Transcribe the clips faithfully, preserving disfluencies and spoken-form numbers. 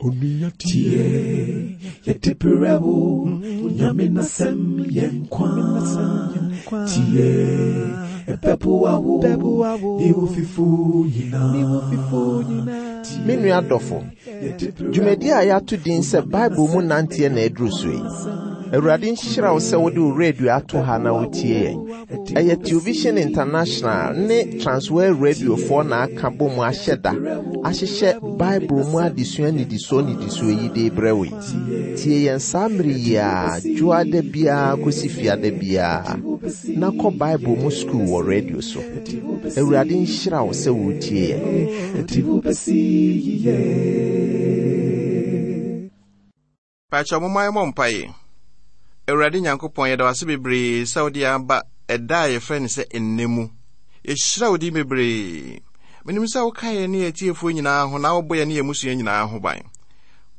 Tie, yɛde brɛ wo, Nyame n'asɛm yɛ nkwa. Tie, ɛbɛboa wo, ne wo fifo nyinaa. Me nua dɔfo, dwumadi a yɛato din sɛ Bible mu nanteɛ na aduru so yi. Awurade nhyira wo sɛ wode wo radio ato ha na wotie yɛn. Ɛyɛ Television International ne Transworld Radiofoɔ na aka bɔ mu ahyɛ da ahyehyɛ Bible mu adesua nnidisoɔ nnidisoɔ yi de brɛ wo yi. Tie yɛn saa mmere yi a dwoada biara kɔsi fiada biara na kɔ Bible mu sukuu wɔ radio so. Awurade nhyira wo sɛ wotie yɛn. Ɛde wo bɛsi yiye. Pakyɛ momma yɛmmɔ mpaeɛ. Awurade Nyankopɔn, yɛda wo ase bebree sɛ wode yɛn aba ɛda a yɛfrɛ no sɛ ɛnnɛ mu. Yɛhyira wo din bebree. Menim sɛ woka yɛn ne yɛn atiefoɔ nyinaa ho na wobɔ yɛn ne yɛn mmusua nyinaa ho ban.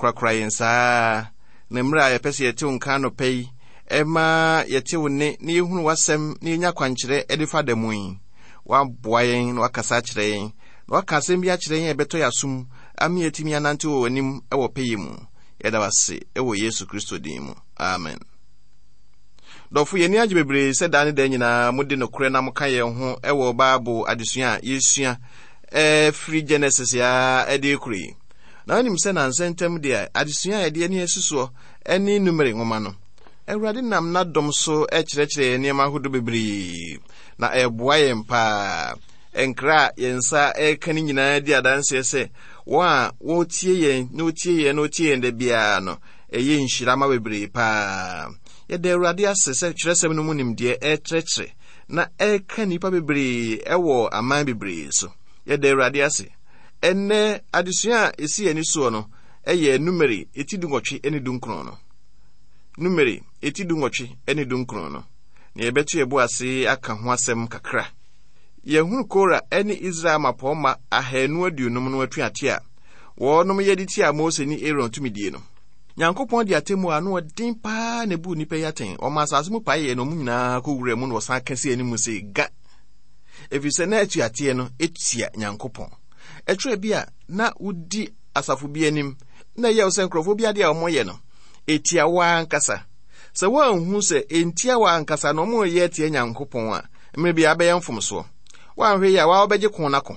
Korakora yɛn saa na mmerɛ a yɛpɛ sɛ yɛte wo nka anɔpa yi, ɛma yɛte wo nne na yɛhunu w'asɛm na yɛnya kwankyerɛ de fa da mu yi. Woaboa yɛn na woakasa akyerɛ yɛn na woaka asɛm bi akyerɛ yɛn a ɛbɛtɔ yɛn asom ama yɛatumi anante wɔ w'anim wɔ pɛyɛ mu. Yɛda wo ase wɔ Yesu Kristo din mu. Amen. Dɔfo, yɛn ani agye bebree sɛ daa ne daa nyinaa mode nokorɛ na moka yɛn ho wɔ Bible adesua a yɛsua firi Genesis a ɛde rekoro yi. Na wonim sɛ nansa ntam deɛ adesua a yɛde ani asi soɔ ne Numere nwoma no. Awurade nam n'adom so kyerɛkyerɛ yɛn nneɛma ahodoɔ bebree na ɛboa yɛn paa. Nkra a yɛn nsa reka no nyinaa di adanseɛ sɛ wɔn a wɔtie yɛn na wɔtie yɛn na wɔtie yɛn da biara no, ɛyɛ nhyira ma bebree paa. Yɛda Awurade ase sɛ twerɛsɛm no mu nimdeɛ ɛrekyerɛkyerɛ na ɛreka nnipa bebree ɛwɔ aman bebree so. Yɛda Awurade ase. Ɛnnɛ adesua a ɛsi yɛn ani soɔ no ɛyɛ Numeri eti dunwɔtwe ne dunkron no. Numeri eti dunwɔtwe ne dunkron no. Na yɛbɛto yɛn bo ase aka ho asɛm kakra. Yɛhunu Kora ne Israel mmapɔmma ahanu aduonum no atuate a wɔnom yɛ de tiaa Mose ne Aaron tumidie no. Nyankopɔn de atemmuo a ano ɔden paa na ebuu nnipa yi atɛn. Ɔmaa asase mu paeɛ na wɔn nyinaa kɔwuraa mu na wɔsan ka sii anim sɛ ga. Ɛfiri sɛ na atuateɛ no tia Nyankopɔn. Ɛtwerɛ bi a na wodi asafo bi anim na ɛyɛ wo sɛ nkurɔfoɔ bi adeɛ a wɔyɛ no ɛtia wo ankasa. Sɛ woanhu sɛ ɛntia wo ankasa na wɔreyɛ atia Nyankopɔn a, mmerɛ biara bɛyɛ mfomsoɔ. Woanhwɛ yie a waa wobɛgye ko no ako.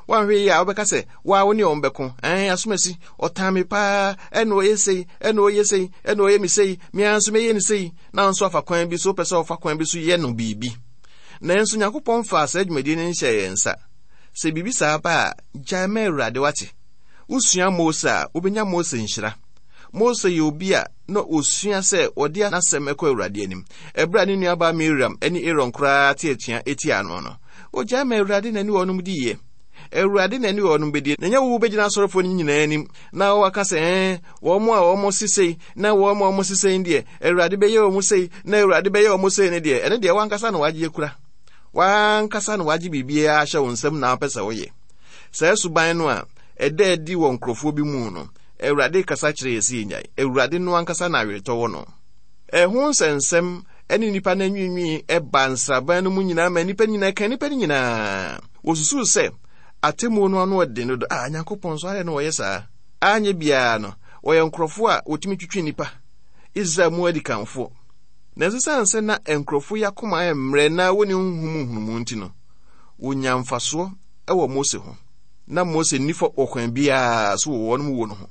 Woanhwɛ yie a wobɛka sɛ waa wo ne wɔn bɛko. Ɛn asomasi, ɔtan me paa, ɛna ɔyɛ sei, ɛna ɔyɛ sei, ɛna ɔyɛ me sei, me ara nso mɛyɛ no sei. Na nso afa kwan bi so, wopɛ sɛ ɔfa kwan bi so yɛ no biribi. Nanso Nyankopɔn faa saa dwumadie no nhyɛɛ yɛn nsa. Sɛ biribi saa ba a, gyae ma Awurade wate. Wosua Mose a, wobɛnya Mose nhyira. Mose yɛ obi a na osua sɛ ɔde n'asɛm kɔ Awurade anim. Ɛberɛ a ne nuabaa Miriam ne Aaron koraa te atua tiaa no no, ogyae ma Awurade na ne wɔnom diiɛ. Awurade na ne wɔnom bɛdie. Na ɛnyɛ wo wobɛgyina asɔrefoɔ no nyinaa anim na waka sɛ, ɛɛ, wɔn a wɔn se sei na wɔn a wɔn se sei deɛ, Awurade bɛyɛ wɔn sei na Awurade bɛyɛ wɔn sei no deɛ, ɛno deɛ wankasa na wagye akura. Wankasa na wagye biribiara ahyɛ wo nsam na wopɛ sɛ woyɛ. Saa suban no a ɛda adi wɔ nkurɔfoɔ bi mu no, Awurade kasa kyerɛ yɛ sɛ yɛnyae. Awurade no ankasa na aweretɔ wɔ no. Ɛho nsɛnsɛm ne nnipa no anwiinwii ba nsraban no mu nyinaa ma nnipa nyinaa ka nnipa no nyinaa. Wɔsusuw sɛ atemmuo no ano ɔden dodo. Ah, Nyankopɔn nso adɛn na wɔyɛ saa? Anyɛ biara no, wɔyɛ nkurɔfoɔ a wɔtumi twitwi nnipa. Israel mu adikanfoɔ. Nanso esiane sɛ na nkurɔfoɔ yi akoma ayɛ mmerɛ na wɔnni honhom mu nhunumu nti no, wɔnyaa mfasoɔ wɔ Mose ho. Na Mose nni fɔ wɔ kwan biara so wɔ wɔn wuo no ho.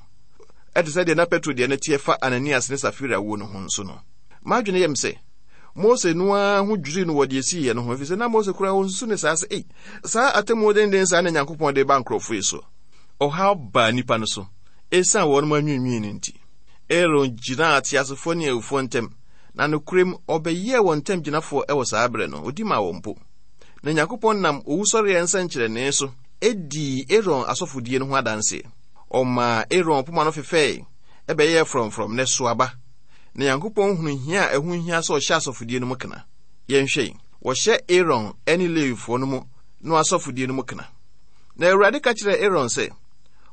Ɛte sɛ deɛ na Petro deɛ no teɛ fa Ananias ne Safira wuo no ho nso no. M'adwene yɛ me sɛ, Mose no ara ho dwirii no wɔ deɛ esiiɛ no ho, efisɛ na Mose koraa ɔnsusu ne saa sɛ, ei, saa atemmuo denden saa na Nyankopɔn de ba nkurɔfoɔ yi so. Ɔhaw baa nnipa no so esiane wɔn anwiinwii no nti. Aaron gyinaa ateasefoɔ ne awufoɔ ntam, na nokorɛm ɔbɛyɛɛ wɔn ntamgyinafoɔ wɔ saa berɛ no, ɔdi maa wɔn mpo. Na Nyankopɔn nam owusɔreɛ nsɛnkyerɛnee so dii Aaron asɔfodie no ho adanseɛ. Ɔmaa Aaron poma no fefɛe, ɛbɛyɛɛ frɔmfrɔm, na ɛsoo aba. Na Nyankopɔn hunu hia a ɛho hia sɛ ɔhyɛ asɔfodie no mu kena. Yɛnhwɛ yi, wɔhyɛ Aaron ne Lewifoɔ no mu no asɔfodie no mu kena. Na Awurade ka kyerɛɛ Aaron sɛ,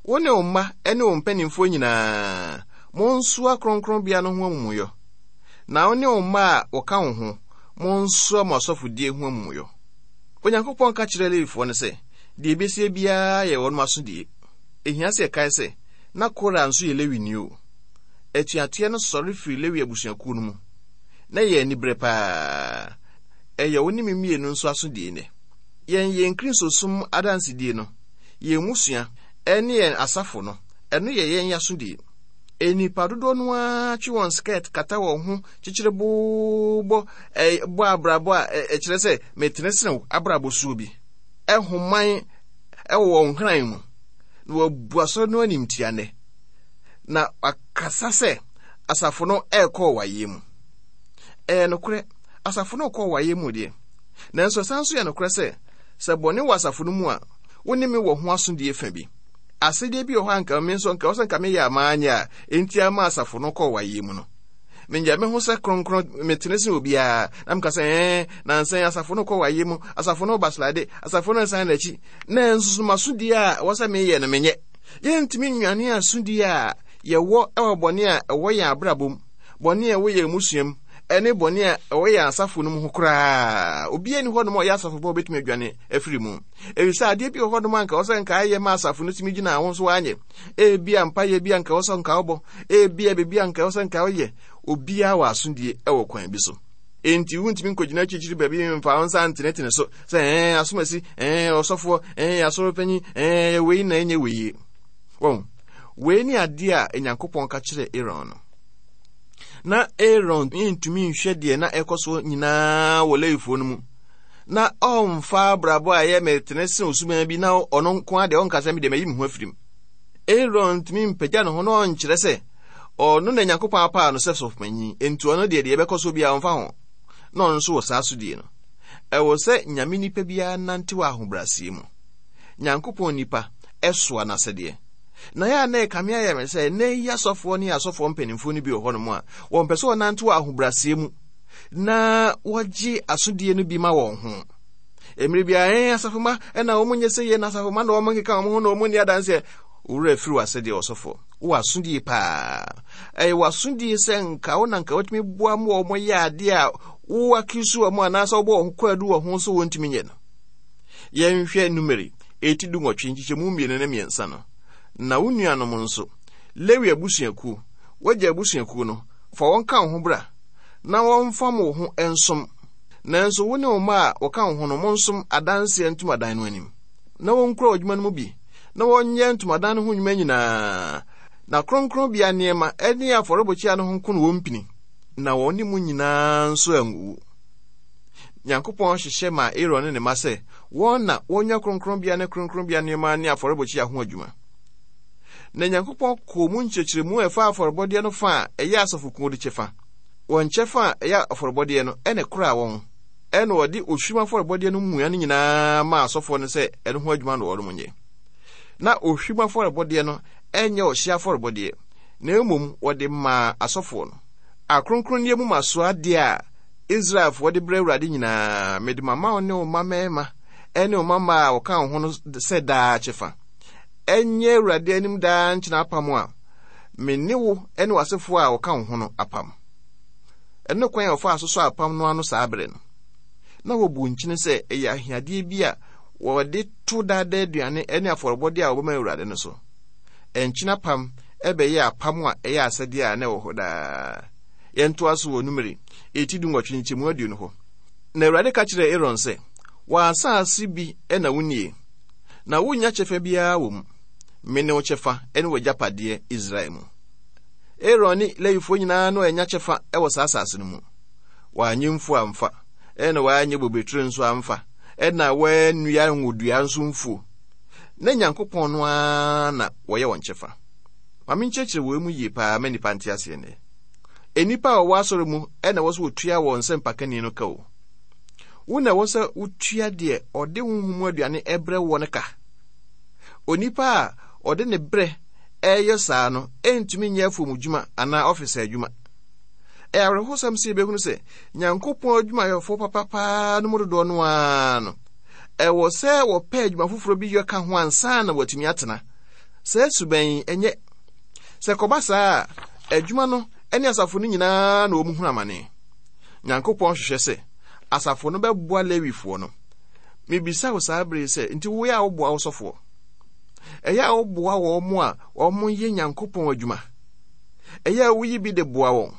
Wo ne wo mma ne wo mpanimfoɔ nyinaa, monsoa kronkronbea no ho amumuyɔ. Na wo ne wo mma a wɔka wo ho, monsoa mo asɔfodie ho amumuyɔ. Onyankopɔn ka kyerɛɛ Lewifoɔ no sɛ, deɛ ɛbɛsie biara yɛ wɔn asodie. Ɛhia sɛ yɛkae sɛ, Na Kora nso yɛ Lewini o. Atuateɛ no sɔre firi Lewi abusuakuo no mu. Na ɛyɛ aniberɛ paa. Ɛyɛ wo ne me mmienu nso asodie nnɛ. Yɛn yɛn Kristosom adansedie no, yɛn mmusua, ɛne yɛn asafo no, ɛno yɛ yɛn asodie. Nnipa dodoɔ no ara twe wɔn skirt kata wɔn ho kyekyere boobɔ bɔ abrabɔ a ɛkyerɛ sɛ metene sene wo abrabɔ suo bi. Ɛhoman ɛwɔ wɔn hran mu. Na wɔabu asɔre no animtia nnɛ. Na wakasa sɛ asafo no ɛrekɔ ɔwaeɛ mu. Ɛyɛ nokorɛ, asafo no rekɔ ɔwaeɛ mu deɛ. Nanso ɛsan nso yɛ nokorɛ sɛ, sɛ bɔne wɔ asafo no mu a, wo ne me wɔ ho asodie fa bi. Asɛdeɛ bi wɔ hɔ a anka me nso anka wɔ sɛ nka meyɛ a maanyɛ a, enti ama asafo no kɔ ɔwaeɛ mu no. Menyɛ me ho sɛ kronkron, metene sen obiara, na meka sɛ, ɛɛ, nansa yi asafo no kɔ ɔwaeɛ mu, asafo no baslade, asafo no nsan n'akyi. Nanso so m'asodie a ɛwɔ sɛ meyɛ no menyɛ. Yɛntumi nnwane asodie a yɛwɔ wɔ bɔne a ɛwɔ yɛn abrabɔ mu, bɔne a ɛwɔ yɛn mmusua mu, ɛne bɔne a ɛwɔ yɛn asafo no mu ho koraa. Obiara nni hɔnom a ɔyɛ asafo ba a obetumi adwane afiri mu. Efisɛ adeɛ bi wɔ hɔnom a anka ɛwɔ sɛ nka ayɛ ma asafo no tumi gyina ho nso anyɛ. Ebia mpaeɛ bi a anka ɛwɔ sɛ nka wobɔ, ebia biribi a anka ɛwɔ sɛ nka woyɛ. Obiara wɔ asodie wɔ kwan bi so. Enti wontumi nkɔgyina akyirikyiri baabi mfa wo nsa ntenetene so sɛ ɛɛ asomasi, ɛɛ ɔsɔfoɔ, ɛɛ asɔrepanyin, ɛɛ wei na ɛnyɛ wei. Wɔn, wei ne adeɛ a Nyankopɔn ka kyerɛɛ Aaron no. Na Aaron ntumi nhwɛ deɛ na ɛkɔ so nyinaa wɔ Lewifoɔ no mu. Na ɔmfa abrabɔ a ɛyɛ metene sen osuban bi na ɔno nko ara deɛ ɔnka sɛ me deɛ mayi me ho afiri mu. Aaron ntumi mpagya ne ho na ɔnkyerɛ sɛ ɔno na Nyankopɔn apaa no sɛ sɔfopanyin, enti ɔno deɛ deɛ ɛbɛkɔ so biara ɔmfa ho. Na ɔno nso wɔ saa asodie no. Ɛwɔ sɛ Nyame nipa biara nante wɔ ahobrɛaseɛ mu. Nyankopɔn nipa ɛsoa n'asɛdeɛ. Na yɛ a na ɛkame ayɛ me sɛ nnɛ yi asɔfoɔ ne asɔfoɔ mpanimfoɔ no bi wɔ hɔnom a wɔmpɛ sɛ wɔnante wɔ ahobrɛaseɛ mu na wɔgye asodie no bi ma wɔn ho. Mmerɛ biara ɛn asafoma ɛna wɔn nyɛ sɛ yɛ na asafoma na wɔn nkeka wɔn ho na wɔn nni adanseɛ. Owura afiri w'asɛdeɛ ɔsɔfoɔ. Wɔ asodie paa. Ɛyɛ w'asodie sɛ nka wo na nka watumi boa ma wɔn yɛ adeɛ a wo akisu wɔn anaasɛ wobɔ wɔn kwaadu wɔ ho so wɔntumi nyɛ no. Yɛnhwɛ Numeri eti dunwɔtwe nkyekyɛmu mmienu ne mmiɛnsa no. Na wo nuanom nso, Lewi abusuakuo, w'agya abusuakuo no, fa wɔn ka wo ho bra, na wɔmfam wo ho nsom. Nanso wo ne wo mma a wɔka wo ho no, monsom adanseɛ ntomadan no anim, na wɔnkura adwuma no mu bi, na wɔnyɛ ntomadan no ho nnwuma nyinaa, na kronkronbea nneɛma ne afɔrebukyia no ho nko na wɔmpini, na wɔne mo nyinaa nso anwuwu. Nyankopɔn hyehyɛ maa Aaron ne ne mma sɛ wɔn na wɔnyɛ kronkronbea ne kronkronbea nneɛma ne afɔrebukyia ho adwuma. Na Nyankopɔn kɔɔ mu nkyerɛkyerɛmu a ɛfa afɔrebɔdeɛ no fa a ɛyɛ asɔfokuo de kyɛfa. Wɔn kyɛfa a ɛyɛ afɔrebɔdeɛ no ɛna ɛkoraa wɔn. Ɛna ɔde ohwim afɔrebɔdeɛ no mua no nyinaa maa asɔfoɔ no sɛ ɛno ho adwuma na wɔnom nyɛ. Na ohwim afɔrebɔdeɛ no ɛnyɛ ɔhye afɔrebɔdeɛ, na mmom wɔde maa asɔfoɔ no. Akronkronneɛ mu masoɔ adeɛ a Israelfoɔ de brɛ Awurade nyinaa, mede mama wo ne wo mma mmarima ne wo mma mmaa a wɔka wo ho no sɛ daa kyɛfa. Ɛnyɛ Awurade anim daa nkyena apam a me ne wo ne w'asefoɔ a wɔka wo ho no apam. Ɛno kwan a wɔfaa so sɔ apam no ano saa bere no. Na wɔbu nkyene sɛ ɛyɛ ahiadeɛ bi a wɔde to daadaa aduane ne afɔrebɔdeɛ a wɔbɛma Awurade no so. Nkyene apam ɛbɛyɛ apam a ɛyɛ asɛdeɛ a na ɛwɔ hɔ daa. Yɛntoa so wɔ Numeri eti dunwɔtwe nkyɛmu aduonu hɔ. Na Awurade ka kyerɛɛ Aaron sɛ, W'asase bi na wonnie, na wonnya kyɛfa biara wɔ mu. Mene wo kyɛfa ne w'agyapadeɛ Israel mu. Aaron ne Lewifoɔ nyinaa no annya kyɛfa wɔ saa asase no mu. Wɔanyɛ mfuo amfa, ɛna wɔanyɛ bobeturo nso amfa, ɛna wɔannua ngodua nso mfuo. Na Nyankopɔn no ara na wɔyɛ wɔn kyɛfa. Ma menkyerɛkyerɛ wei mu yie paa ma nnipa nte aseɛ nnɛ. Nnipa a wɔwɔ asɔre mu na ɛwɔ sɛ wɔtua wɔn nsɛmpakani no ka o. Wo na ɛwɔ sɛ wotua deɛ ɔde honhom mu aduane ɛbrɛ woɔ no ka. Onipa a ɔde ne berɛ ɛreyɛ saa no ɛntumi nyɛ afuom dwuma anaa ɔfisa adwuma. Ɛyɛ awerɛhosɛm sɛ yɛbɛhunu sɛ Nyankopɔn adwumayɛfoɔ papa paa no mu dodoɔ no ara no, ɛwɔ sɛ wɔpɛ adwuma foforɔ bi yɛ ka ho ansa na wɔatumi atena. Saa suban yi ɛnyɛ. Sɛ kɔba saa a, adwuma no ne asafo no nyinaa na wɔn hunu amane. Nyankopɔn hwehwɛ sɛ asafo no bɛboa Lewifoɔ no. Mebisa wo saa bere sɛ, nti wo yɛ a woboa wo sɔfoɔ? Ɛyɛ a woboa wɔn mo a wɔn yɛ Nyankopɔn adwuma. Ɛyɛ a woyi bi de boa wɔn.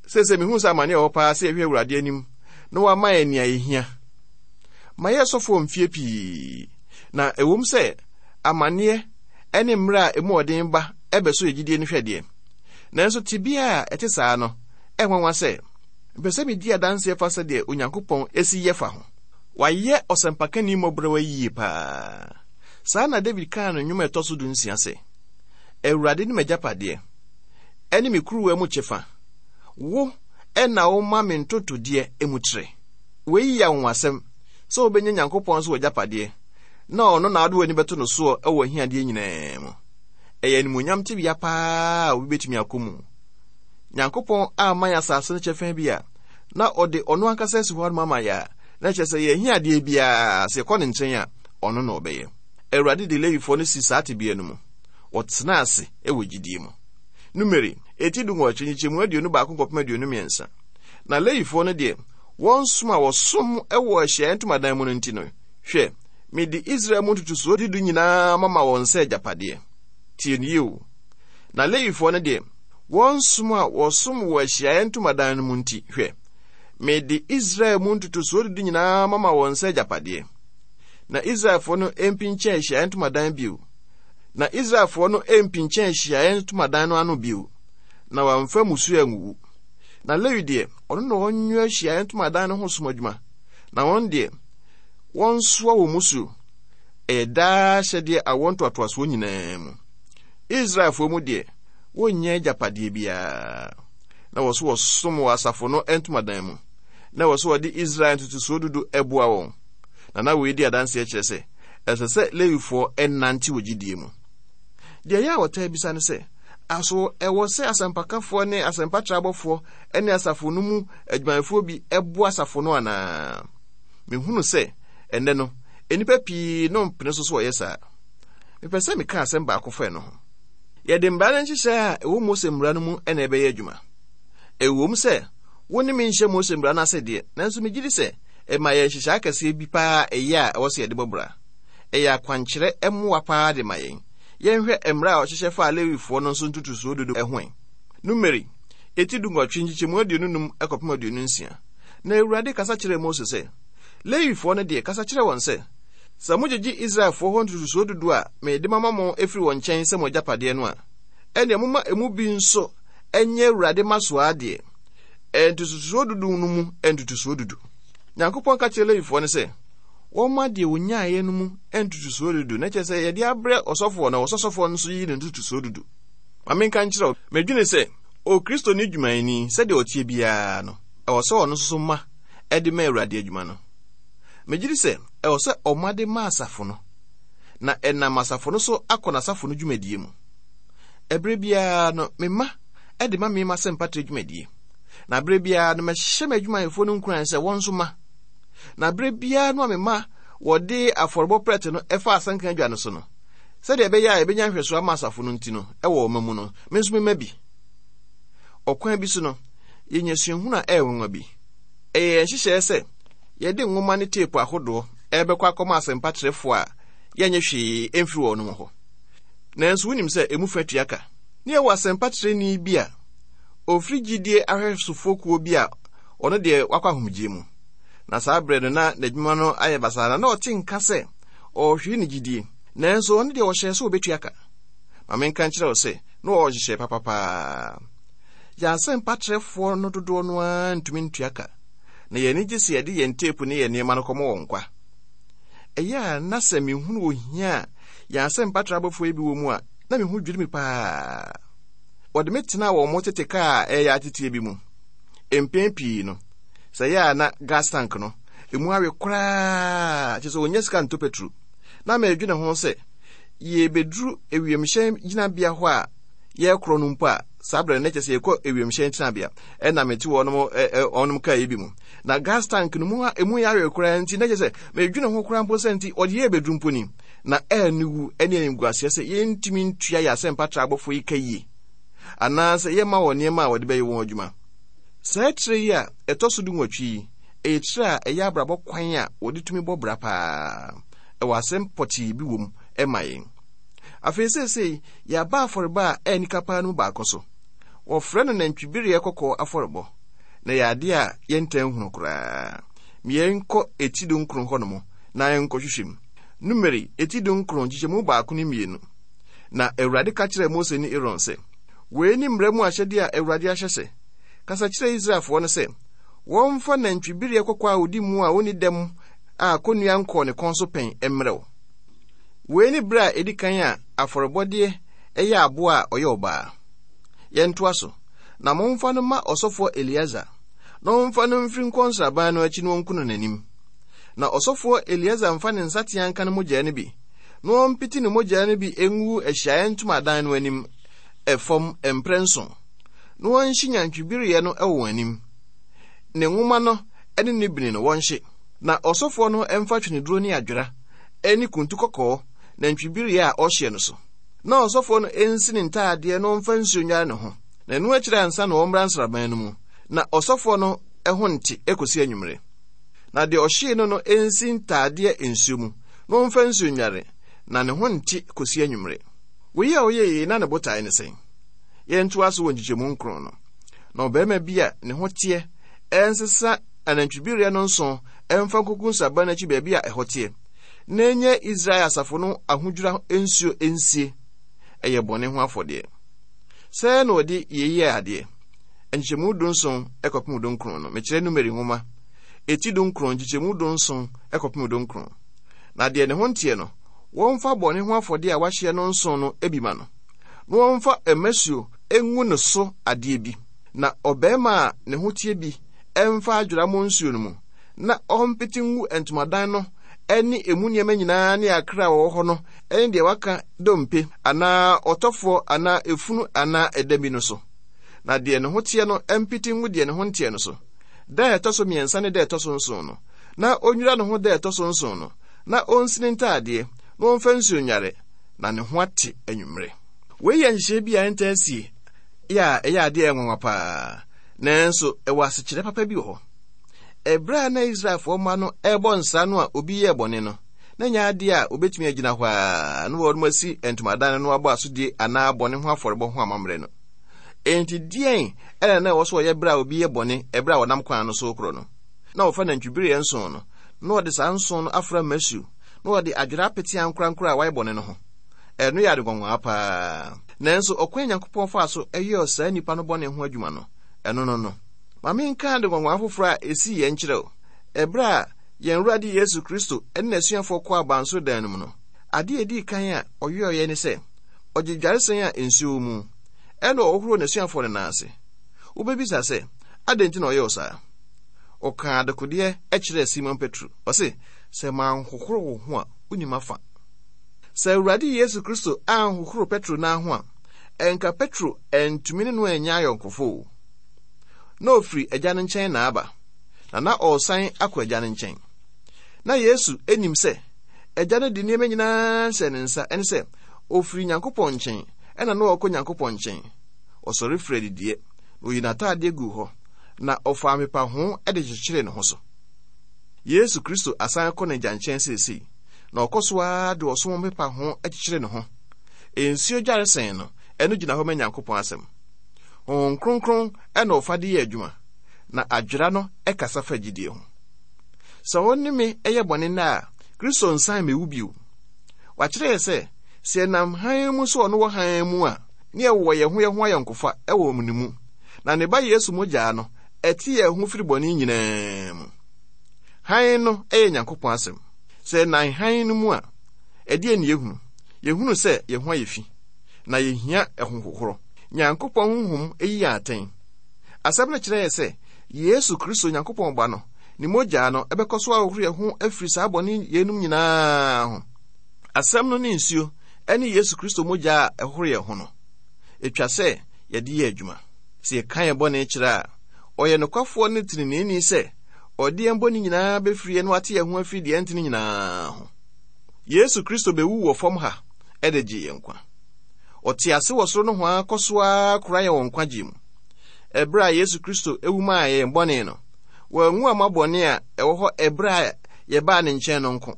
Sɛsɛ mehu sɛ amane a ɛwɔ paa sɛ yɛhwɛ Awurade anim na wama yɛn nea yɛhia. Ma yɛ sɔfoɔ mfie pii, na ɛwom sɛ amanneɛ ne mmerɛ a emu ɔden ba ɛbɛso yɛ gyidie no hwɛdeɛ. Nanso tebea a ɛte saa no, ɛnwanwa sɛ mpɛ sɛ medi adanseɛ fa sɛdeɛ Onyankopɔn esi yɛ fa ho. Wayɛ ɔsɛmpakani mmɔborɔwa yie paa. Saa na David kaa no nnwom a ɛtɔ so du nsia sɛ, Awurade ne m'agyapadeɛ, ɛne me kuruwa mu kyɛfa. Wo ɛna woma me ntotodeɛ mu trɛ. Wei yɛ anwonwasɛm sɛ wobɛnya Nyankopɔn so w'agyapadeɛ, na ɔno na wode w'ani bɛto no soɔ wɔ ahiadeɛ nyinaa mu. Ɛyɛ animuonyam tebea paa a obi bɛtumi akɔ mu. Nyankopɔn amma yɛn asase no kyɛfa bi a, na ɔde ɔno ankasa asi hɔ ama yɛ a, na kyerɛ sɛ yɛn ahiadeɛ biara, sɛ yɛkɔ ne nkyɛn a, ɔno na ɔbɛyɛ. Awurade de Lewifoɔ no si saa tebea no mu. Wɔtena ase wɔ gyidie mu. Numeri, eti du nwɔtwe, nkyekyɛmu aduonu baako kɔpem aduonu mmiɛnsa. Na Lewifoɔ no deɛ, wɔn som a wɔsom wɔ ahyiaeɛ ntomadan mu no nti no, hwɛ, mede Israel mu ntotosoɔ dudu nyinaa mama wɔn sɛ agyapadeɛ. Tie no yie o. Na Lewifoɔ no deɛ, wɔn som a wɔsom wɔ ahyiaeɛ ntomadan no mu nti, hwɛ, mede Israel mu ntotosoɔ dudu nyinaa mama wɔn sɛ agyapadeɛ. Na Israelfoɔ no mpinkyɛn ahyiaeɛ ntomadan bio. Na Israelfoɔ no mpinkyɛn ahyiaeɛ ntomadan no ano bio, na wɔamfa mmusuo anwuwu. Na Lewi deɛ, ɔno na ɔnwea ahyiaeɛ ntomadan no ho som adwuma. Na wɔn deɛ, wɔnsoa wɔn mmusuo. Ɛyɛ daa hyɛdeɛ awoɔ ntoatoasoɔ nyinaa mu. Israelfoɔ mu deɛ, wɔnnya agyapadeɛ biara. Na wɔ so wɔsom wɔ asafo no ntomadan mu. Na wɔ so wɔde Israel ntotosoɔ dudu boa wɔn. Na na wei di adanseɛ kyerɛ sɛ, ɛsɛ sɛ Lewifoɔ nante wɔ gyidie mu. Deɛ ɛyɛ a wɔtaa bisa ne sɛ, aso ɛwɔ sɛ asɛmpakafoɔ ne asɛmpatrabɔfoɔ ne asafo no mu adwumayɛfoɔ bi boa asafo no anaa? Mehunu sɛ ɛnnɛ no, nnipa pii no mpene so so wɔyɛ saa. Mepɛ sɛ meka asɛm baako fa ɛno ho. Yɛde mmara no nhyehyɛe a ɛwɔ Mose mmara no mu na ɛbɛyɛ adwuma. Ɛwom sɛ wo ne me nhyɛ Mose mmara no ase deɛ, nanso megye di sɛ ɛma yɛn nhyehyɛe akɛseɛ bi paa ɛyɛ a ɛwɔ sɛ yɛde bɔ bra. Ɛyɛ akwankyerɛ mmoa paa de ma yɛn. Yɛnhwɛ mmara a ɔhyehyɛ faa Lewifoɔ no nso ntotosoɔ dudu ho ɛ. Numeri, eti du nwɔtwe, nkyekyɛmu aduonu num kɔpem aduonu nsia. Na Awurade kasa kyerɛɛ Mose sɛ, Lewifoɔ no deɛ, kasa kyerɛ wɔn sɛ, sɛ mogyegye Israelfoɔ hɔ ntotosoɔ dudu a mede mama mo afiri wɔn nkyɛn sɛ mo agyapadeɛ no a, ɛnneɛ momma emu bi nso nyɛ Awurade mmasoɔ adeɛ, ntotosoɔ dudu no mu ntotosoɔ dudu. Nyankopɔn ka kyerɛ Lewifoɔ no sɛ, wɔmma deɛ wɔnyaeɛ no mu ntotosoɔ dudu, na kyerɛ sɛ yɛde abrɛ ɔsɔfoɔ na ɔsɔsɔfoɔ no nso yi ne ntotosoɔ dudu. Ma menka nkyerɛ wo, medwene sɛ Okristoni dwumayɛni, sɛdeɛ ɔteɛ biara no, ɛwɔ sɛ ɔno nso so ma ɛde ma Awurade adwuma no. Megye di sɛ ɛwɔ sɛ ɔma de ma asafo no, na ɛnam asafo no so akɔ n'asafo no dwumadie mu. Ɛberɛ biara no, mema ɛde ma me m'asɛmpatrɛ dwumadie. Na berɛ biara no, mɛhyɛ m'adwumayɛfoɔ no nkuran sɛ wɔn nso ma. Na berɛ biara no a mema wɔde afɔrebɔ prɛte no ɛfa asɛnka adwa no so no, sɛdeɛ ɛbɛyɛ a yɛbɛnya nhwɛsoɔ ama asafo no nti no, ɛwɔ ɔma mu no, me nso mema bi. Ɔkwan bi so no, yɛnya suahunu a ɛyɛ nwanwa bi. Ɛyɛ yɛn nhyehyɛeɛ sɛ yɛde nwoma ne teepu ahodoɔ ɛrebɛkɔ akɔma asɛmpatrɛfoɔ a yɛnyɛ hwee ɛmfiri wɔn hɔ. Nanso wonim sɛ emu fa tua ka. Ne yɛwɔ asɛmpatrɛni bi a ofiri gyidie ahwɛsofoɔ kuo bi a ɔno deɛ wakɔ ahomegyeɛ mu. Na saa berɛ no na n'adwuma no ayɛ basaa na na ɔte nka sɛ ɔrehwere ne gyidie. Nanso ɔno deɛ ɔhyɛɛ sɛ ɔbɛtua ka. Ma menka nkyerɛ wo sɛ na ɔwɔ nhyehyɛe papapaa. Yɛn asɛmpatrɛfoɔ no dodoɔ no ara ntumi ntua ka. Na yɛn ani gye sɛ yɛde yɛn teepu ne yɛn nneɛma no kɔma wɔn kwa. Ɛyɛ a na sɛ mehunu ohia a yɛn asɛmpatrɛ abɔfoɔ yi bi wɔ mu a, na me ho dwiri me paa. Wɔde me tenaa wɔn tete kaa a ɛyɛ ateteɛ bi mu. Mpɛn pii no, sɛ ɛyɛ a na gas tank no, emu awe koraa, kyerɛ sɛ wɔnnya sika ntɔ petro. Na medwene ho sɛ, yɛbɛduru ewiemhyɛn gyinabea hɔ a yɛrekorɔ no mpo a, saa berɛ no na kyerɛ sɛ yɛkɔ ewiemhyɛn tenabea, ɛna mete wɔnom wɔnom kaa yi bi mu. Na gas tank no mu a emu yɛ awe koraa nti, na kyerɛ sɛ medwene ho koraa mpo sɛ nti wɔde yɛ bɛduru mpo ni. Na aniwu ne animguaseɛ sɛ yɛntumi ntua yɛn asɛmpatra abɔfoɔ yi ka yie, anaasɛ yɛmma wɔn nneɛma a wɔde bɛyɛ wɔn adwuma. Saa tire yi a ɛtɔ so dunwɔtwe yi, ɛyɛ tire a ɛyɛ abrabɔ kwan a wɔde tumi bɔ bra paa. Ɛwɔ asɛm pɔtee bi wɔ mu ma yɛn. Afei seesei yɛaba afɔrebɔ a ɛyɛ nika paa no mu baako so. Wɔfrɛ no nantwibereɛ kɔkɔɔ afɔrebɔ, na ɛyɛ adeɛ a yɛntaa nhunu koraa. Yɛnkɔ eti dunkron hɔnom na yɛnkɔhwehwɛ mu. Numeri eti dunkron nkyekyɛmu baako ne mmienu. Na Awurade ka kyerɛɛ Mose ne Aaron sɛ, wei ne mmara mu ahyɛdeɛ a Awurade ahyɛ sɛ, kasa kyerɛ Israelfoɔ no sɛ, wɔmfa nantwibereɛ kɔkɔɔ a odi mu a onni dɛm a kɔnnua nkɔɔ ne kɔn so pɛn mmerɛ wo. Wei ne berɛ a edi kan a afɔrebɔdeɛ ɛyɛ aboa a ɔyɛ ɔbaa. Yɛntoa so. Na momfa no ma ɔsɔfoɔ Eleazar, na ɔmfa no mfiri nkɔ nsraban no akyi na ɔnku no n'anim. Na ɔsɔfoɔ Eleazar mfa ne nsateaa nka ne mogya no bi, na ɔmpete ne mogya no bi ngu ahyiaeɛ ntomadan no anim ɛfam mprɛ nson, na wɔnhye nantwibereɛ no wɔ wɔn anim. Ne nwoma no ne ne bini no wɔnhye. Na ɔsɔfoɔ no mfa tweneduro ne adwera ne kuntu kɔkɔɔ nantwibereɛ a ɔhyeɛ no so. Na ɔsɔfoɔ no nsi ne ntaadeɛ na ɔmfa nsuo nware ne ho. Na ɛno akyiri ansa na ɔmmra nsraban no mu, na ɔsɔfoɔ no ho nte ekosi anwummere. Na deɛ ɔhyee no no nsi ntaadeɛ nsuo mu, na ɔmfa nsuo nware, na ne ho nte kosi anwummere. Wei a ɔyɛ yei na ne botae ne sɛn? Yɛntoa so wɔ nkyekyɛmu nkron no. Na ɔbarima bi a ne ho teɛ ɛnsesa anantwibereɛ no nson ɛmfa nkogu nsraban no akyi baabi a ɛhɔ teɛ, na ɛnyɛ Israel asafo no ahodwira nsuo nsie. Ɛyɛ bɔne ho afɔdeɛ. Sɛɛ na ɔde yei yɛɛ adeɛ. Nkyekyɛmu dunson ɛkɔpem dunkron no, mekyerɛ Numeri nwoma eti dunkron nkyekyɛmu dunson ɛkɔpem dunkron. Na deɛ ne ho nteɛ no, wɔmfa bɔne ho afɔdeɛ a wahyeɛ no nson no bi ma no, na wɔmfa mmasuo ngu ne so adeɛ bi. Na ɔbarima a ne ho teɛ bi ɛmfa adwera mmɔ nsuo no mu, na ɔmpete ngu ntomadan no ne emu nneɛma nyinaa ne akra a wɔwɔ hɔ no ne deɛ waka dompe anaa ɔtɔfoɔ anaa efunu anaa ɛdam bi no so. Na deɛ ne ho teɛ no mpete ngu deɛ ne ho nteɛ no so. Da a ɛtɔ so mmiɛnsa ne da a ɛtɔ so nson no, na onnwira ne ho da a ɛtɔ so nson no, na ɔnsi ne ntaadeɛ, na ɔmfa nsuo nware, na ne ho ate anwummere. Wei yɛ nhyehyɛe bi a ɛntaa sie yɛ a ɛyɛ adeɛ a ɛnwanwa paa, nanso ɛwɔ asekyerɛ papa bi wɔ hɔ. Ɛberɛ a na Israelfoɔ mma no ɛrebɔ nsra no a obi yɛɛ bɔne no, na nyɛ adeɛ a obetumi agyina hɔ a na wɔn asi ntomadan no abɔ asodie anaa bɔne ho afɔrebɔ ho amammerɛ no. Enti deɛn ɛna na ɛwɔ so ɔyɛ berɛ a obi yɛ bɔne ɛberɛ a wɔnam kwan no so korɔ no? Na wɔfa nantwibereɛ nson no, na wɔde saa nson no afra mmasuo, na wɔde adwera apete ankorankoro a wɔayɛ bɔne no ho. Ɛno yɛ ade nwanwa paa. Nanso ɔkwan Nyankopɔn faa so ɛyɛɛ saa nnipa no bɔne ho adwuma no, ɛno no no. Ma menka ade nwanwa foforɔ a ɛsii yɛn nkyerɛ wo. Ɛberɛ a yɛn Awurade Yesu Kristo ne n'asuafoɔ kɔɔ abansoro dan no mu no, adeɛ a ɛdii kan a ɔyɛeɛ ne sɛ, ɔgye dwaresɛn a nsuo wɔ mu, ɛna ɔhohoroo n'asuafoɔ no nan ase. Wobɛbisa sɛ, adɛn nti na ɔyɛɛ saa? Ɔkaa adekodeɛ kyerɛɛ Simon Petro. Ɔse, sɛ manhohoro wo ho a, wonni m'afa. Sɛ Awurade Yesu Kristo anhohoro Petro nan ho a, ɛnka Petro antumi ne no anya ayɔnkofo o. Na ofiri Agya no nkyɛn na aba, na na ɔresan akɔ Agya no nkyɛn. Na Yesu nim sɛ Agya no de nneɛma nyinaa hyɛ ne nsa, ɛne sɛ ofiri Nyankopɔn nkyɛn, ɛna na ɔrekɔ Nyankopɔn nkyɛn. Ɔsɔre firi adidiɛ, na oyi n'ataadeɛ guu hɔ, na ɔfaa mpepaho de kyekyeree ne ho so. Yesu Kristo asan kɔ n'Agya nkyɛn seesei, na ɔkɔ so ara de ɔsom mpepaho kyekyere ne ho. Nsuo dwaresɛn no, ɛno gyina hɔ ma Nyankopɔn asɛm. Honhom Kronkron ɛna ɔfa de yɛ adwuma, na adwera no ɛkasa fa gyidie ho. Sɛ wo ne me ɛyɛ bɔne nnɛ a, Kristo nsan mmewu bio. Wakyerɛ yɛ sɛ, sɛ yɛnam hann mu sɛ ɔno wɔ hann mu a, ne yɛwɔ yɛn ho yɛn ho ayɔnkofa ɛwɔ ne mu. Na ne ba Yesu mogyaa no, ɛte yɛn ho firi bɔne nyinaa mu. Hann no ɛyɛ Nyankopɔn asɛm. Sɛ yɛnam hann no mu a, ɛdeɛn ne yɛhunu? Yɛhunu sɛ yɛn ho ayɛ fi, na yɛhia ɛhohohoro. Nyankopɔn honhom yi yɛn atɛn. Asɛm no kyerɛ yɛ sɛ, Yesu Kristo Nyankopɔn Ba no, ne mogyaa no ɛbɛkɔ so ahohoro yɛn ho afiri saa bɔne yeinom nyinaa ho. Asɛm no ne nsuo ɛne Yesu Kristo mogyaa a ɛhohoro yɛn ho no, ɛtwa sɛ yɛde yɛ adwuma. Sɛ yɛka yɛn bɔne kyerɛ a, ɔyɛ nokwafoɔ ne teneneeni sɛ ɔde yɛn bɔne nyinaa bɛfiri yɛn na wate yɛn ho afiri deɛ ɛntene nyinaa ho. Yesu Kristo bɛwu wɔ fam ha ɛde gye yɛn nkwa. Ɔte ase wɔ soro nohoa kɔ so ara kora yɛn wɔ nkwagye mu. Ɛberɛ a Yesu Kristo ewu maa yɛn bɔne no, wanwu amma bɔne a ɛwɔ hɔ ɛberɛ a yɛbaa ne nkyɛn no nko.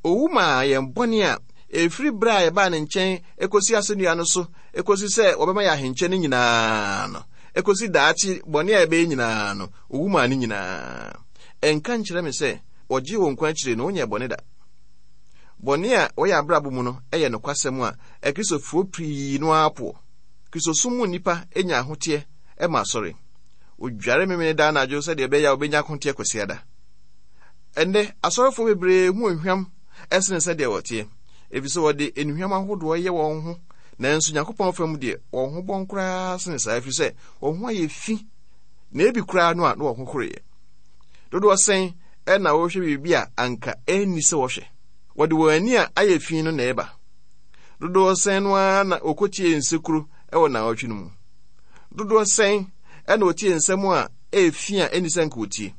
Owu maa yɛn bɔne a Ɛfiri berɛ a yɛbaa ne nkyɛn ɛkɔsi asɛnnua no so, ɛkɔsi sɛ wɔbɛma yɛ ahenkyɛ no nyinaa no, ɛkɔsi daakye bɔne a yɛbɛyɛ nyinaa no, owu maa ne nyinaa. Ɛnka nkyerɛ me sɛ wɔgye wɔn nkwa akyire no wonyɛ bɔne da. Bɔne a wɔyɛ abrabɔ mu no ɛyɛ nokwasɛm a Akristofoɔ pii no ara poɔ. Kristosom mu nnipa nya ahoteɛ ma asɔre. Odware memene da anadwo sɛdeɛ ɛbɛyɛ a wobɛnya ahoteɛ Kwasiada. Ɛnnɛ, asɔrefoɔ bebree ho ohwam ɛsene sɛdeɛ wɔteɛ, ɛfiri sɛ wɔde nnuhwam ahodoɔ yɛ wɔn ho, nanso Nyankopɔn fam deɛ, wɔn ho bɔn koraa sene saa, ɛfiri sɛ wɔn ho ayɛ fi, na ebi koraa no a na wɔn ho horoeɛ. Dodoɔ sɛn ɛna wɔhwɛ biribi a anka ɛnni sɛ wɔhwɛ. Wɔde wɔn ani a ayɛ fi no na ɛba. Dodoɔ sɛn no ara na wɔkɔtie nsekuro ɛwɔ naawɔtwe no mu. Dodoɔ sɛn ɛna wɔtie nsɛm a ɛyɛ fi a ɛnni sɛ nka wɔtie.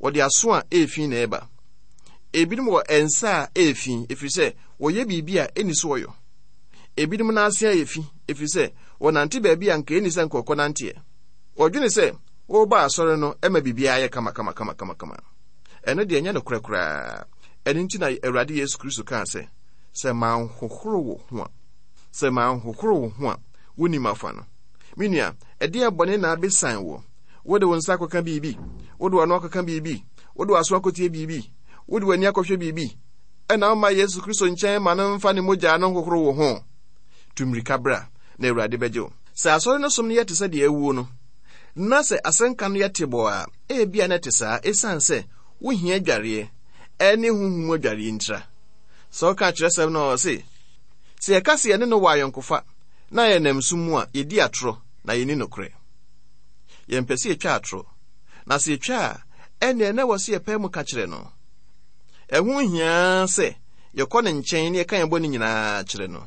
Wɔde aso a ɛyɛ fi na ɛba. Ebinom wɔ nsa a ɛyɛ fi, ɛfiri sɛ wɔyɛ biribi a ɛnni so wɔyɔ. Ebinom n'ase ayɛ fi, ɛfiri sɛ wɔnante baabi a nka ɛnni sɛ nka wɔkɔ nanteɛ. Wɔdwene sɛ wɔreba asɔre no ɛma biribiara yɛ kama kama kama kama kama. Ɛno deɛ ɛnyɛ nokorɛ koraa. Ɛno nti na Awurade Yesu Kristo kaa sɛ, sɛ manhohoro wo ho a, sɛ manhohoro wo ho a, wonim afa no. Me nua, ɛdeɛ bɔne na abesan wɔ. Wode wo nsa akɔka biribi, wode w'ano akɔka biribi, wode w'aso akɔtie biribi, wode w'ani akɔhwɛ biribi, ɛna woma Yesu Kristo nkyɛn ma no mfa ne mogya no nhohoro wo ho. Tu mmirika bra, na Awurade bɛgye wo. Sɛ asɔre no som no yɛ te sɛ deɛ awuo no, na sɛ asɛnka no yɛ tebɔɔ a, ebia na ɛte saa ɛsiane sɛ wohia adwareɛ ɛne honhom mu adwareɛ ntira. Sɛ woka kyerɛsɛm no a ɔse, sɛ yɛka sɛ yɛne no wɔ ayɔnkofa na yɛnam sum mu a, yɛdi atorɔ na yɛnni nokorɛ. Yɛmpɛ sɛ yɛtwa atorɔ, na sɛ yɛtwa a, ɛnneɛ na ɛwɔ sɛ yɛpae mu ka kyerɛ no. Ɛho hia sɛ yɛkɔ ne nkyɛn na yɛka yɛn bɔne nyinaa kyerɛ no.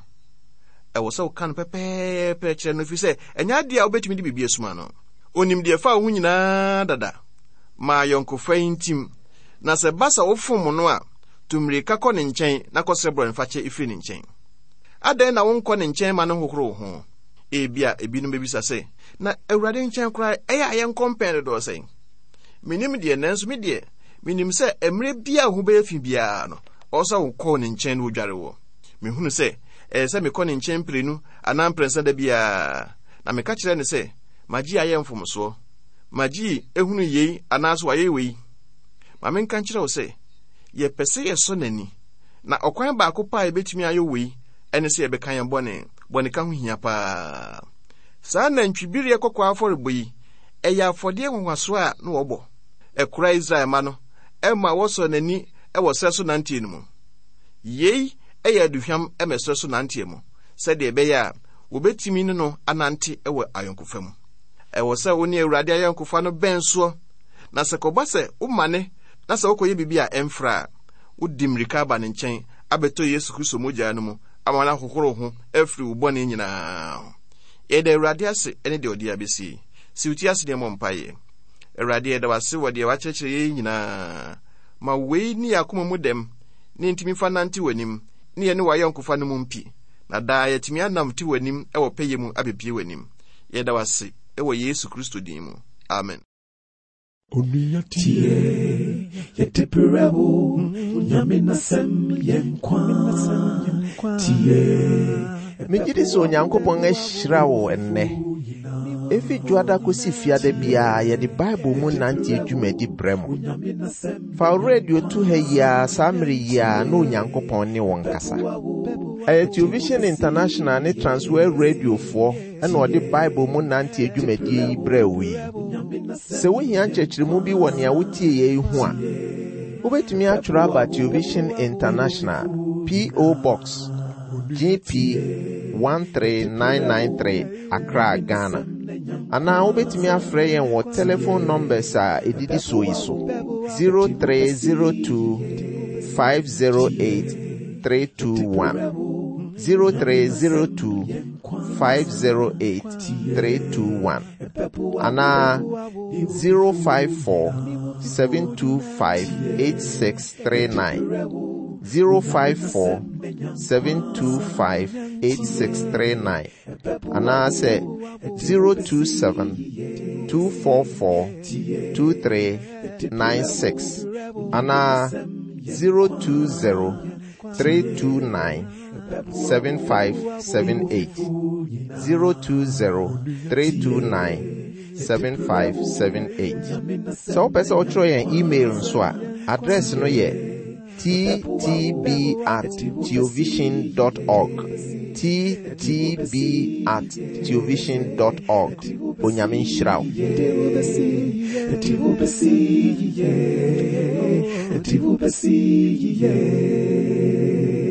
Ɛwɔ sɛ woka no pɛpɛɛpɛ kyerɛ no, ɛfiri sɛ ɛnyɛ adeɛ a wobɛtumi de biribi asuma no. Onim deɛ ɛfa wo ho nyinaa dada. Ma ayɔnkofa yi ntim, na sɛ ba sɛ wofom no a, tu mmirika kɔ ne nkyɛn na kɔsrɛ bɔnefakyɛ ɛfiri ne nkyɛn. Adɛn na wonkɔ ne nkyɛn ma no nhohoro wo ho? Ebia ebinom bɛbisa sɛ, na Awurade nkyɛn koraa ɛyɛ a yɛnkɔ mpɛn dodoɔ sɛn? Menim deɛ, nanso me deɛ, menim sɛ mmerɛ biara wo ho bɛyɛ fi biara no, ɔwɔ sɛ wokɔ ne nkyɛn na wodware wɔ. Mehunu sɛ ɛyɛ sɛ mekɔ ne nkyɛn mprenu anaa mprɛnsa da biara, na meka kyerɛ no sɛ, magye ayɛ mfomsoɔ, magye ehunu yei anaasɛ wayɛ wei. Ma menka nkyerɛ wo sɛ, yɛpɛ sɛ yɛsɔ n'ani, na ɔkwan baako pa a yɛbɛtumi ayɛ wei ɛne sɛ yɛbɛka yɛn bɔne. Bɔneka ho hia paa. Saa nantwibereɛ kɔkɔɔ afɔrebɔ yi, ɛyɛ afɔdeɛ nwanwasoɔ a na wɔbɔ. Ɛkora Israel mma no ɛma wɔsɔ n'ani ɛwɔ serɛ so nanteɛ no mu. Yei ɛyɛ aduhwam ɛma serɛ so nanteɛ mu, sɛdeɛ ɛbɛyɛ a wɔbɛtumi ne no anante ɛwɔ ayɔnkofa mu. Ɛwɔ sɛ wo ne Awurade ayɔnkofa no bɛn soɔ, na sɛ kɔba sɛ womane na sɛ wokɔyɛ biribi a ɛmfra a, wodi mmirika aba ne nkyɛn abɛtɔ Yesu Kristo mogya no mu ama no ahohoro ho afiri wo bɔne nyinaa ho. Yɛda Awurade ase ne deɛ ɔde abɛsie. Si wo ti ase ne mmɔ mpaeɛ. Awurade, yɛda wo ase wɔ deɛ wakyerɛkyerɛ yɛn nyinaa. Ma wei ne yɛn akoma mu dɛm ne ntumi fa nante w'anim ne yɛne w'ayɔnkofa no mu mpi, na daa yɛatumi anam te w'anim wɔ pɛyɛ mu abɛpie w'anim. Yɛda wo ase wɔ Yesu Kristo din mu. Amen. Onua tie, yɛde brɛ wo, Onyame n'asɛm yɛ nkwa. Tie. Megye di sɛ Onyankopɔn ahyira wo ɛnnɛ. Efi dwoada kosi fiada biara yɛde Bible mu nante dwumadi brɛ mo. Fa wo radio to ha yi ara saa mmere yi ara na Onyankopɔn ne wo nkasa. Ɛyɛ Television International ne Transworld Radiofoɔ ɛna ɔde Bible mu nante dwumadie yi brɛ wo yi. Sɛ wohia nkyerɛkyerɛmu bi wɔ nea wotie yɛ yi ho a, wobɛtumi atwerɛ aba Television International, P O. Box G P one three nine nine three, Accra, Ghana. Anaa wobɛtumi afrɛ yɛn wɔ telephone numbers a ɛdidi soɔ yi so: zero three zero two five zero eight three two one, zero three zero two five zero eight three two one, anaa zero five four seven two five eight six three nine, zero five four seven two five eight six three nine, anaasɛ zero two seven two four four two three nine six, anaa zero two zero three two nine seven five seven eight. zero two zero three two nine seven five seven eight. Sɛ wopɛ sɛ wotwerɛ yɛn email nso a, address no yɛ ttb at theovision dot org. Ttb at theovision dot org. Onyame nhyira wo. Yeah.